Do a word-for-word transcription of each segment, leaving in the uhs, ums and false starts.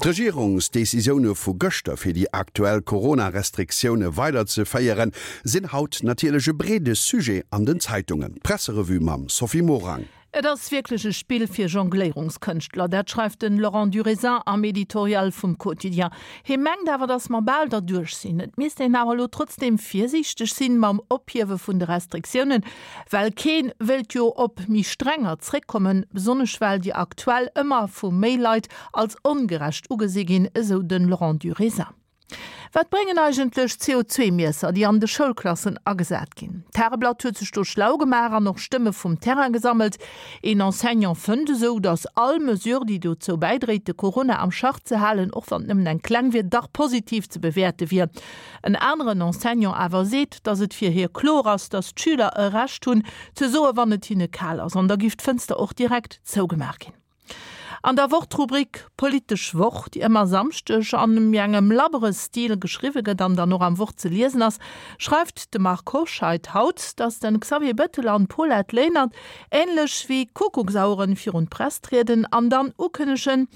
D'Regierungsdecisioune vu gëschter fir déi aktuell Corona-Restriktioune weiderzeféieren, sinn haut natierlech e breede Sujet an den Zeitungen. D'Presserevue mam Sophie Morang. Et ass wierklech e Spill fir Jongléierungskënschtler, dat schreift den Laurent Durisin am Editorial vum Quotidien. Hie mengt awer, datt mer bal derduerch sinn. Et misst een awer elo trotzdeem virsiichteg sinn mam Ophiewe vun de Restriktiounen, well kee wéilt jo op méi strenger zréckkommen, besonnesch well déi aktuell ëmmer vu méi Leit als ongerecht ugesi ginn, esou den Laurent Durisin. Wat bréngen eigentlech C O zwei Miesser, déi an de Schoulklassen agesat ginn? D'Tageblatt huet sech do schlau gemaach an och Stëmme vum Terrain gesammelt. Een Enseignant fënnt esou, datt all Mesure, déi dozou bäidréit, de Corona am Schach ze halen, och wann et nëmmen eng kleng wier, dach positiv ze bewäerte wier. En aneren Enseignant awer seet, datt et fir hie kloer ass, datt d'Schüler e Recht hunn, ze soen, wann et hinne kal ass, an da giff d'Fënster och direkt zougemaach ginn. An der Wort-Rubrik Politesch Woch, déi ëmmer Samschdeg an engem labbere Stil geschriwwe gëtt an dann och am Wort ze liesen ass, schreift de Marc Hoscheid haut, datt den Xavier Bettel an d'Paulette Lenert änlech wéi Kuckucksaueren virun d'Press trieden an dann ukënnegen,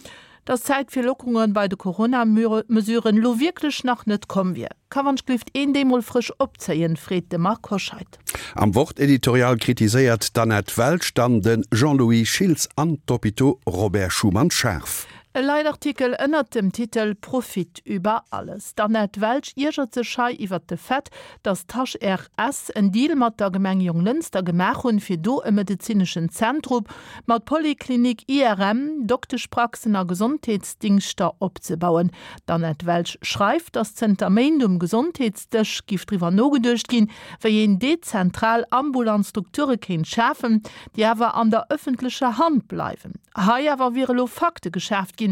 datt d'Zäit fir Lockerunge bei de Corona-Mesuren lo wierklech nach net komm wier. Ka wann d'Schlift een déi mol frësch opzéien, freet de Marc Hoscheid. Am Wort-Editorial kritiséiert d'Annette Welsch dann de Jean-Louis Schiltz an d'Hôpitaux Robert Schuman scharf. E Leitartikel ënnert dem Titel Profit über alles. D'Annette Welsch iergert sech hei iwwer de Fait, datt d'H R S en Deal mat der Gemeng Jonglënster gemaach hunn, fir do e medezineschen Zentrum mat Poliklinik, I R M, Dokteschpraxen a Gesondheetsdingschter opzebauen. D'Annette Welsch schreift, datt zënter Méint um Gesondheetsdësch giff driwwer nogeduecht ginn, wéi een dezentral ambulant Strukture kéint schafen, déi awer an der ëffentlecher Hand bleiwen. Hei awer wiere lo Fakte geschaaft ginn.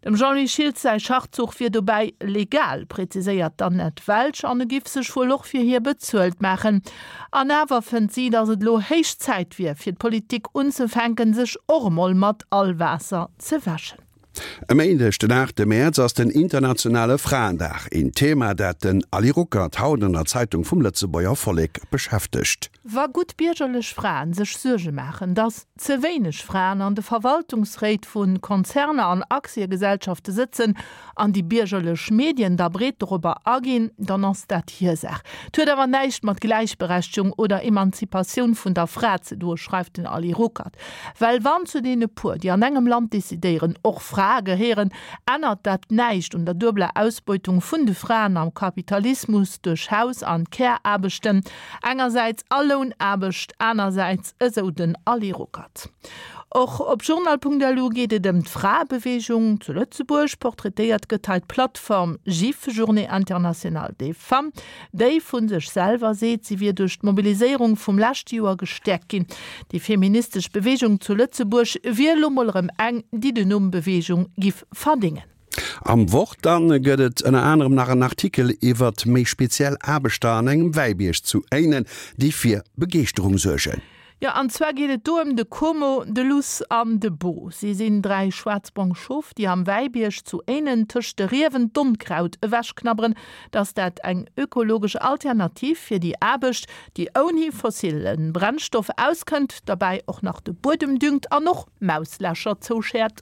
Dem Jean-Louis Schiltz säi Schachzuch wier dobäi legal, präziséiert d'Annette Welsch, an e giff sech wuel och fir hir bezuelt maachen. An awer fënnt si, datt et lo héich Zäit wier, fir d'Politik unzefänken, sech och emol mat all Waasser ze wäschen. E Méindeg, den achte Mäerz, ass den internationale Fraendag, een Thema, dat den Ali Ruckert haut an der Zeitung vum Lëtzebuerger Vollek beschäftegt. Wa gutt biergerlech Fraen sech Suerge maachen, datt ze wéineg Fraen an de Verwaltungsréit vu Konzerner an Aktiegesellschafte sëtzen an déi biergerlech Medien da breet dorobber aginn, dann ass dat hir Saach. Et huet awer näischt mat Gläichberechtegung oder Emanzipatioun vun der Fra ze doen, schreift den Ali Ruckert. Well wann zu deene puer, déi an engem Land decidéieren, och Frae gehéieren, ännert dat näischt un der duebeler Ausbeutung vun de Fraen am Kapitalismus duerch Haus- an Care-Aarbechten, engersäits a Lounaarbecht, anersäits, esou den Ali Ruckert. Och op journal punkt L U geet et ëm d'Fraebeweegung zu Lëtzebuerg. Portraitéiert gëtt hei d'Plattform G I F, Journée Internationale des Femmes, déi vun sech selwer seet, si wier duerch d'Mobiliséierung vum leschte Joer gestäerkt ginn. Déi feministesch Beweegung zu Lëtzebuerg wier lo mol erëm eng, déi den Numm Beweegung giff verdéngen. Am Wort dann gëtt et ënner anerem nach en Artikel iwwer méi speziell Aarbechter an engem Wäibierg zu Éinen, déi fir Begeeschterung suergen. Ja, an zwar geet et do ëm de Como, de Luss an de Bo. Si sinn dräi schwaarzbrong Schof, déi am Wäibierg zu Éinen tëscht de Riewen d'Onkraut ewechknabberen. Dass dat eng ökologesch Alternativ fir déi Aarbecht, déi ouni fossilen Brennstoff auskënnt, dabei och nach de Buedem düngt an och Mauslächer zouschäert.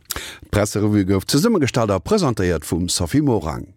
D'Presserevue gouf zesummegestallt a presentéiert vum Sophie Morang.